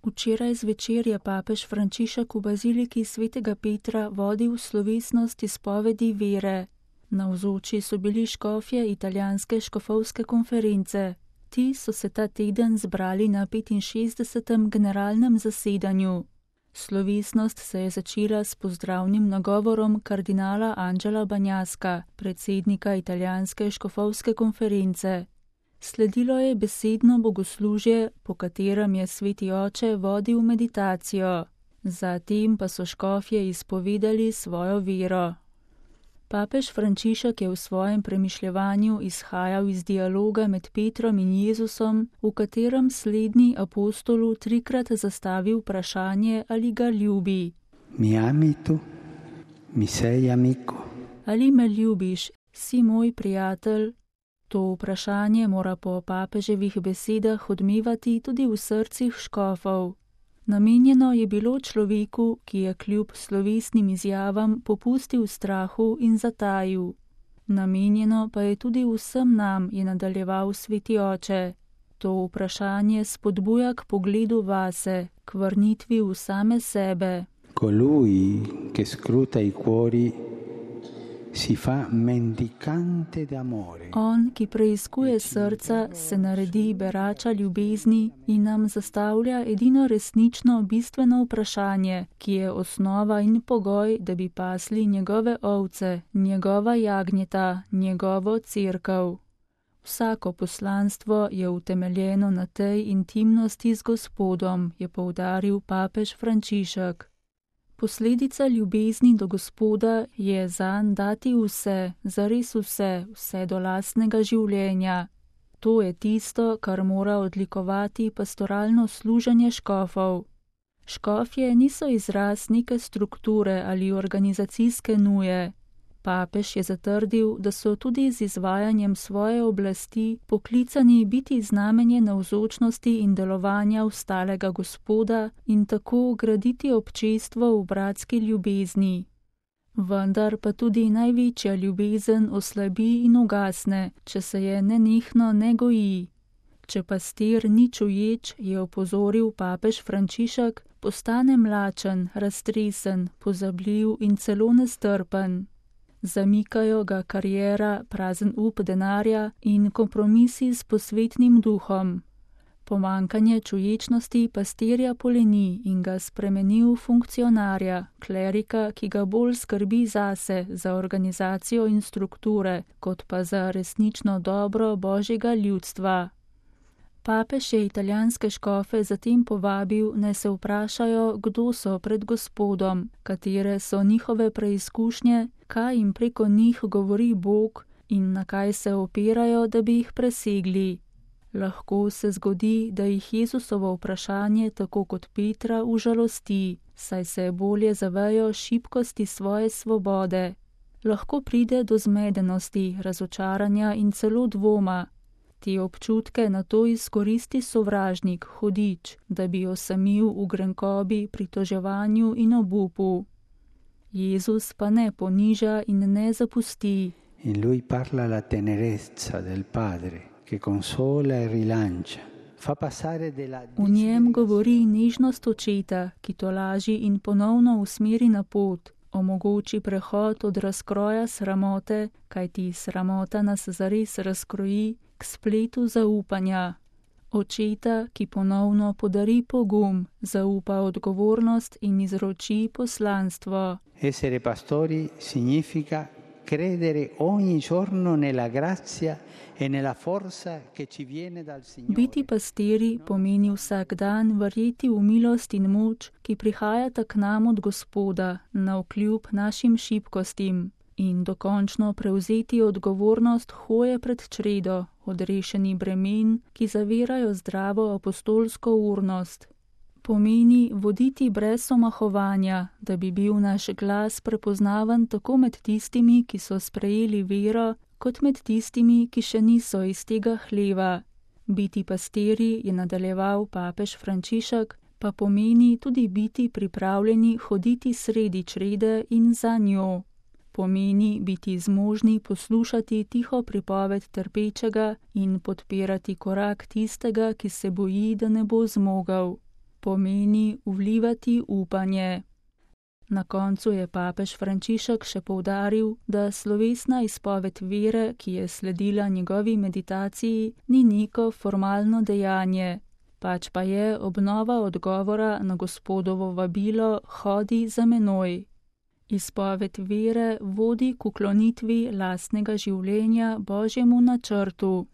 Včeraj zvečer je papež Frančišek v baziliki svetega Petra vodil slovesnost izpovedi vere. Navzoči so bili škofje italijanske škofovske konference. Ti so se ta teden zbrali na 65. generalnem zasedanju. Slovesnost se je začela s pozdravnim nagovorom kardinala Angela Bagnaska, predsednika italijanske škofovske konference. Sledilo je besedno bogoslužje, po katerem je sveti oče vodil meditacijo. Zatem pa so škofje izpovedali svojo vero. Papež Frančišek je v svojem premišljevanju izhajal iz dialoga med Petrom in Jezusom, v katerem slednji apostolu trikrat zastavi vprašanje, ali ga ljubi. Mi ami tu? Mi sei amico? Ali me ljubiš, si moj prijatelj? To vprašanje mora po papeževih besedah odmevati tudi v srcih škofov. Namenjeno je bilo človeku, ki je kljub slovesnim izjavam popustil strahu in zatajil. Namenjeno pa je tudi vsem nam, je nadaljeval sveti oče. To vprašanje spodbuja k pogledu vase, k vrnitvi v same sebe. Colui che scruta i cuori si fa mendicante d'amore. On, ki preiskuje srca, se naredi berača ljubezni in nam zastavlja edino resnično bistveno vprašanje, ki je osnova in pogoj, da bi pasli njegove ovce, njegova jagnjeta, njegovo cerkev. Vsako poslanstvo je utemeljeno na tej intimnosti z Gospodom, je poudaril papež Frančišek. Posledica ljubezni do Gospoda je zanj dati vse, zares vse, vse do lastnega življenja. To je tisto, kar mora odlikovati pastoralno služenje škofov. Škofje niso izraz neke strukture ali organizacijske nuje. Papež je zatrdil, da so tudi z izvajanjem svoje oblasti poklicani biti znamenje navzočnosti in delovanja ostalega Gospoda in tako graditi občestvo v bratski ljubezni. Vendar pa tudi največja ljubezen oslabi in ugasne, če se je nenehno ne goji. Če pastir ni čuječ, je opozoril papež Frančišek, postane mlačen, raztresen, pozabljiv in celo nestrpen. Zamikajo ga kariera, prazen up denarja in kompromisi s posvetnim duhom. Pomankanje čuječnosti pastirja poleni in ga spremeni v funkcionarja, klerika, ki ga bolj skrbi zase, za organizacijo in strukture, kot pa za resnično dobro Božjega ljudstva. Papež je italijanske škofe zatem povabil, naj se vprašajo, kdo so pred Gospodom, katere so njihove preizkušnje, kaj jim preko njih govori Bog in na kaj se opirajo, da bi jih presegli. Lahko se zgodi, da jih Jezusovo vprašanje tako kot Petra užalosti, saj se bolje zavejo šibkosti svoje svobode. Lahko pride do zmedenosti, razočaranja in celo dvoma. Te občutke nato izkoristi sovražnik, hudič, da bi osamil v grenkobi, pritoževanju in obupu. Jezus pa ne poniža in ne zapusti. In lui parla la tenerezza del padre, che consola e rilancia. V njem govori nežnost očeta, ki tolaži in ponovno usmeri na pot, omogoči prehod od razkroja sramote, kajti sramota nas zares razkroji, k spletu zaupanja. Očeta, ki ponovno podari pogum, zaupa odgovornost in izroči poslanstvo. Essere pastori significa credere ogni giorno nella grazia e nella forza che ci viene dal Signore. Biti pastiri pomeni vsak dan verjeti v milost in moč, ki prihajata k nam od Gospoda, navkljub našim šibkostim, in dokončno prevzeti odgovornost hoje pred čredo, odrešeni bremen, ki zavirajo zdravo apostolsko urnost. Pomeni voditi brez omahovanja, da bi bil naš glas prepoznaven tako med tistimi, ki so sprejeli vero, kot med tistimi, ki še niso iz tega hleva. Biti pastiri, je nadaljeval papež Frančišek, pa pomeni tudi biti pripravljeni hoditi sredi črede in za njo. Pomeni biti zmožni poslušati tiho pripoved trpečega in podpirati korak tistega, ki se boji, da ne bo zmogel. pomeni vlivati upanje. Na koncu je papež Frančišek še poudaril, da slovesna izpoved vere, ki je sledila njegovi meditaciji, ni neko formalno dejanje, pač pa je obnova odgovora na Gospodovo vabilo Hodi za menoj. Izpoved vere vodi k uklonitvi lastnega življenja Božjemu načrtu.